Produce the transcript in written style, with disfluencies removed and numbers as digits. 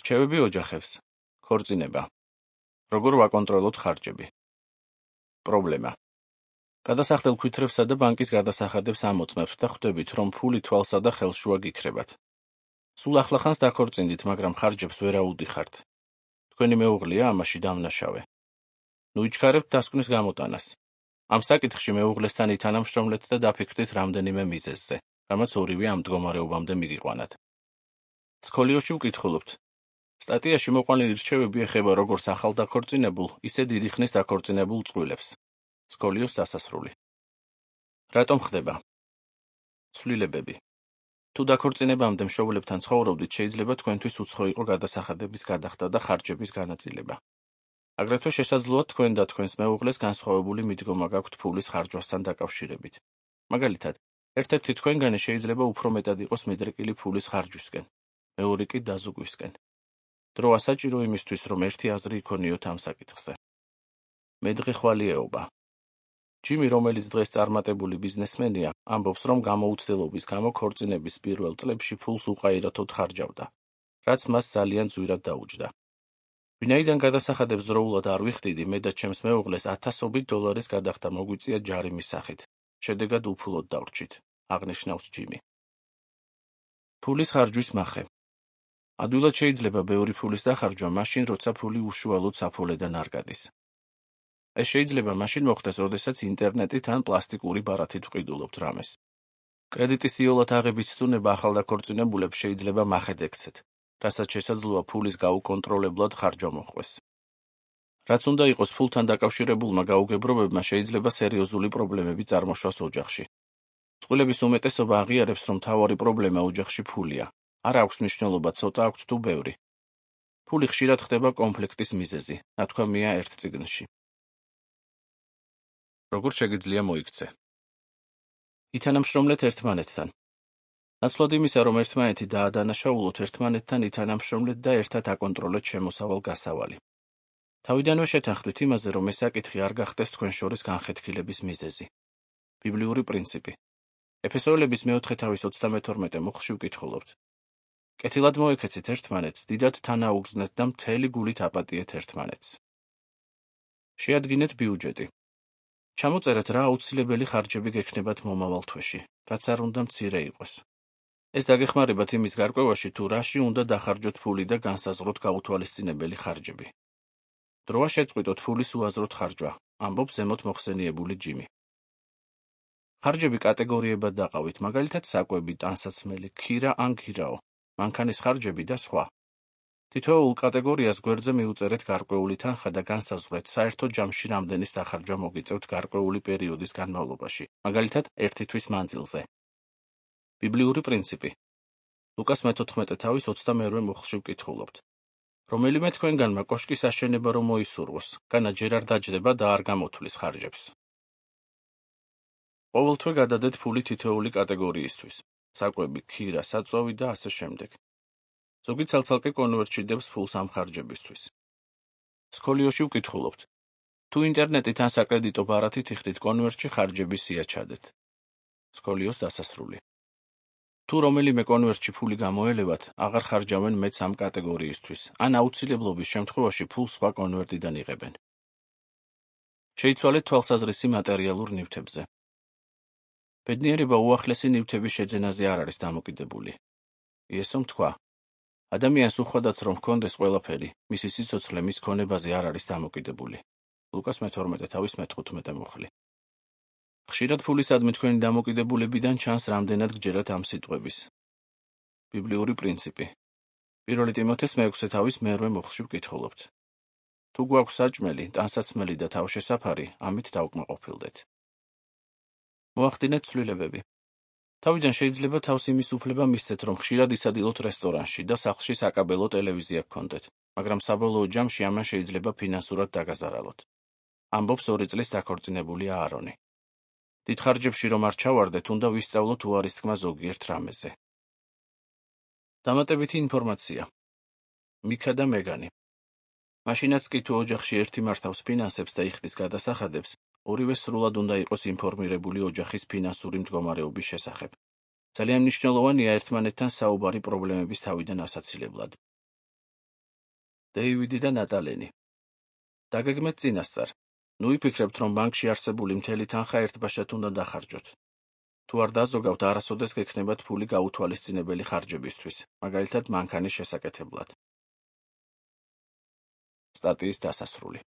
რჩევები ოჯახებს. ქორწინება. როგორ ვაკონტროლოთ ხარჯები. პრობლემა. გადასახდელ ქვითრებსა და ბანკის გადასახადებს ამოწმებთ და ხვდებით, რომ ფული თვალსა და ხელშუა გიქრებათ. სულ ახლახანს დაქორწინდით, მაგრამ ხარჯებს ვერ აუდიხართ. თქვენი მეუღლეა ამაში დამნაშავე. ნუ იჩქარებთ დასკვნის გამოტანას. ამ საკითხში მეუღლესთან ითანამშრომლეთ და დაფიქრდით რამდენიმე მიზეზზე, რამაც ორივე ამ მდგომარეობამდე მიგიყვანათ. სკოლიოში ვკითხულობთ. სტატიაში მოყვანილი რჩევები ეხება როგორც ახალ დაქორწინებულ, ისე დიდი ხნის დაქორწინებულ წყვილებს. სკოლიოს დასასრული. რატომ ხდება? ცვლილებები. თუ დაქორწინებამდე მშობლებთან ცხოვრობდით, შეიძლება თქვენთვის უცხო იყო გადასახადების გადახდა და ხარჯების განაწილება. აგრეთვე შესაძლოა თქვენ და თქვენს მეუღლეს განსხვავებული მიდგომა გაქვთ ფულის ხარჯვასთან დაკავშირებით. მაგალითად, ერთ-ერთი თქვენგანი შეიძლება უფრო მეტად იყოს მიდრეკილი ფულის ხარჯვისკენ, მეორე კი დაზუგვისკენ. დრო ასაჭირო იმისთვის, რომ ერთი აზრი იქონიოთ ამ საკითხზე. მედღეხვალიეობა. ჯიმი, რომელიც დღეს წარმატებული ბიზნესმენია, ამბობს, რომ გამოუცდელობის გამო ქორწინების პირველ წლებში ფულს უყაირათოდ ხარჯავდა, რაც მას ძალიან ძვირად დაუჯდა. ვინაიდან გადასახადებს დროულად არ ვიხდიდი, მე და ჩემს მეუღლეს $1000 გადახდა მოგვიწია ჯარიმის სახით. შედეგად უფულოდ დავრჩით, აღნიშნავს ჯიმი. ფულის ხარჯვის მახე. ადვილად შეიძლება ბევრი ფულის დახარჯვა მაშინ, როცა ფული უშუალოდ საფულედან არ გადის. ეს შეიძლება მაშინ მოხდეს, როდესაც ინტერნეტით ან პლასტიკური ბარათით ვყიდულობთ რამეს. კრედიტის იოლად აღების ცდუნება ახალდაქორწინებულებს შეიძლება მახედ ექცეთ, რასაც შესაძლოა ფულის გაუკონტროლებლად ხარჯვა მოჰყვეს. რაც უნდა იყოს ფულთან დაკავშირებულმა გაუგებრობებმა შეიძლება სერიოზული პრობლემები წარმოშვას ოჯახში. წყვილების უმეტესობა აღიარებს, რომ მთავარი პრობლემა ოჯახში ფულია. არ აქვს მნიშვნელობა ცოტა აქვთ თუ ბევრი. ფული ხშირად ხდება კონფლიქტის მიზეზი, ნათქვამია ერთ წიგნში. როგორ შეგიძლია მოიქცე? ითანამშრომლეთ ერთმანეთთან. ნაცვლად იმისა, რომ ერთმანეთი დაადანაშაულოთ, ერთმანეთთან ითანამშრომლეთ და ერთად აკონტროლეთ შემოსავალ-გასავალი. თავიდანვე შეთანხმდით იმაზე, რომ ეს საკითხი არ გახდეს თქვენ შორის განხეთქილების მიზეზი. ბიბლიური პრინციპი. ეფესოელების 4:22 მოხში ვკითხულობთ. კეთილად მოექეცით ერთმანეთს, დიდად თანაუგრძნეთ და მთელი გულით აპატიეთ ერთმანეთს. შეადგინეთ ბიუჯეტი. ჩამოწერეთ რა აუცილებელი ხარჯები გექნებათ მომავალ თვეში, რაც არ უნდა მცირე იყოს. ეს დაგეხმარებათ იმის გარკვევაში, თუ რაში უნდა დახარჯოთ ფული და განსაზღვროთ გაუთვალისწინებელი ხარჯები. დროა შეწყვიტოთ ფულის უაზროდ ხარჯვა, ამბობს ზემოთ მოხსენიებული ჯიმი. ხარჯები კატეგორიებად დაყავით, მაგალითად საკვები, ტანსაცმელი, ქირა ან ქირაო, მანქანის ხარჯები და სხვა. თითოეულ კატეგორიას გვერდზე მიუწერეთ გარკვეული თანხა და განსაზღვრეთ, საერთო ჯამში რამდენის დახარჯვა მოგიწევთ გარკვეული პერიოდის განმავლობაში, მაგალითად 1 თვის მანძილზე. ბიბლიური პრინციპი. ლუკას 14:22 მოხში ვკითხულობთ. რომელიმე თქვენგანმა კოშკის აშენება რომ მოისურვოს, განა ჯერ არ დაჯდება და არ გამოთვლის ხარჯებს. ყოველთვე გადადეთ ფული თითოეული კატეგორიისთვის. საკვები, ქირა, საწვავი და ასე შემდეგ. ზოგი ცალ-ცალკე კონვერტში დებს ფულს ამ ხარჯებისთვის. სკოლიოში ვკითხულობთ. თუ ინტერნეტით ან საკრედიტო ბარათით იხდით კონვერტში ხარჯების სია ჩადეთ. სკოლიოს დასასრული. თუ რომელიმე კონვერტში ფული გამოელევათ, აღარ ხარჯავენ მეც ამ კატეგორიისთვის, ან აუცილებლობის შემთხვევაში ფულს სხვა კონვერტიდან იღებენ. შეიცვალეთ თვალსაზრისი მატერიალურ ნივთებზე. ბედნიერება უახლესი ნივთების შეძენაზე არ არის დამოკიდებული. იესომ თქვა: ადამიანს უხვადაც რომ ჰქონდეს ყველაფერი, მისი სიცოცხლე მის ქონებაზე არ არის დამოკიდებული. ლუკას 12:15 მოხლი. ხშირად ფულისადმი თქვენი დამოკიდებულებიდან ჩანს რამდენად გჯერათ ამ სიტყვების. ბიბლიური პრინციპი. 1 ტიმოთეს 6:1 მოხში ვკითხულობთ. თუ გვაქვს საჭმელი, ტანსაცმელი და თავშესაფარი, ამით დავკმაყოფილდეთ. მოახდინეთ ცვლილებები. თავიდან შეიძლება თავს იმის უფლება მისცეთ, რომ ხშირად ისადილოთ რესტორანში და სახლში საკაბელო ტელევიზია გქონდეთ, მაგრამ საბოლოო ჯამში ამან შეიძლება ფინანსურად დაგაზარალოთ. ამბობს 2 წლის დაქორწინებული აარონი. დიდ ხარჯებში რომ არ ჩავარდეთ, უნდა ვისწავლოთ უარის თქმა ზოგიერთ რამეზე. დამატებითი ინფორმაცია. მიკა და მეგანი. მაშინაც კი თუ ოჯახში ერთი მართავს ფინანსებს და იხდის გადასახადებს, ორივე სრულად უნდა იყოს ინფორმირებული ოჯახის ფინანსური მდგომარეობის შესახებ. ძალიან მნიშვნელოვანია ერთმანეთთან საუბარი პრობლემების თავიდან ასაცილებლად. დეივიდი და ნატალენი. დაგეგმეთ წინასწარ. ნუ იფიქრებთ, რომ ბანკში არსებული მთელი თანხა ერთბაშად უნდა დახარჯოთ. თუ არ დაზოგავთ, არასოდეს გექნებათ ფული გაუთვალისწინებელი ხარჯებისთვის, მაგალითად მანქანის შესაკეთებლად. სტატიის დასასრული.